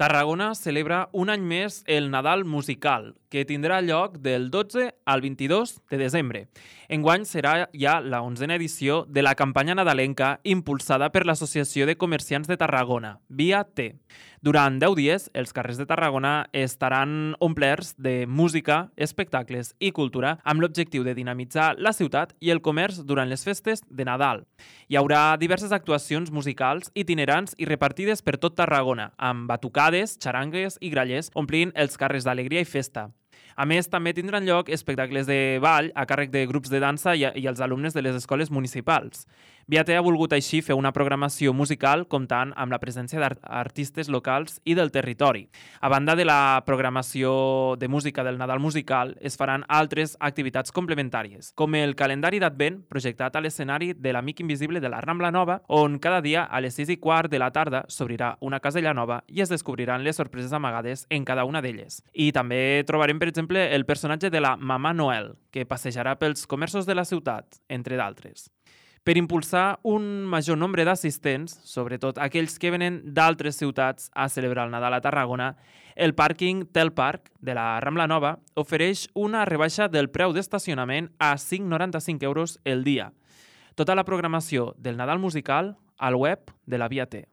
Tarragona celebra un any més el Nadal musical, que tindrà lloc del 12 al 22 de desembre. Enguany serà ja la 11a edició de la campanya nadalenca impulsada per l'Associació de Comerciants de Tarragona, Via T. Durant 10 dies, els carrers de Tarragona estaran omplerts de música, espectacles i cultura amb l'objectiu de dinamitzar la ciutat i el comerç durant les festes de Nadal. Hi haurà diverses actuacions musicals itinerants i repartides per tot Tarragona, amb batucades, xarangues i grallers omplint els carrers d'alegria i festa. A més, també tindran lloc espectacles de ball a càrrec de grups de dansa i els alumnes de les escoles municipals. Via T ha volgut així fer una programació musical comptant amb la presència d'artistes locals i del territori. A banda de la programació de música del Nadal musical, es faran altres activitats complementàries, com el calendari d'Advent projectat a l'escenari de l'Amic Invisible de la Rambla Nova, on cada dia a les 6:15 de la tarda s'obrirà una casella nova i es descobriran les sorpreses amagades en cada una d'elles. I també trobarem, per exemple, el personatge de la Mamà Noel, que passejarà pels comerços de la ciutat, entre d'altres. Per impulsar un major nombre d'assistents, sobretot aquells que venen d'altres ciutats a celebrar el Nadal a Tarragona, el pàrquing Telpark de la Rambla Nova ofereix una rebaixa del preu d'estacionament a 5,95 € el dia. Tota la programació del Nadal musical al web de la Via T.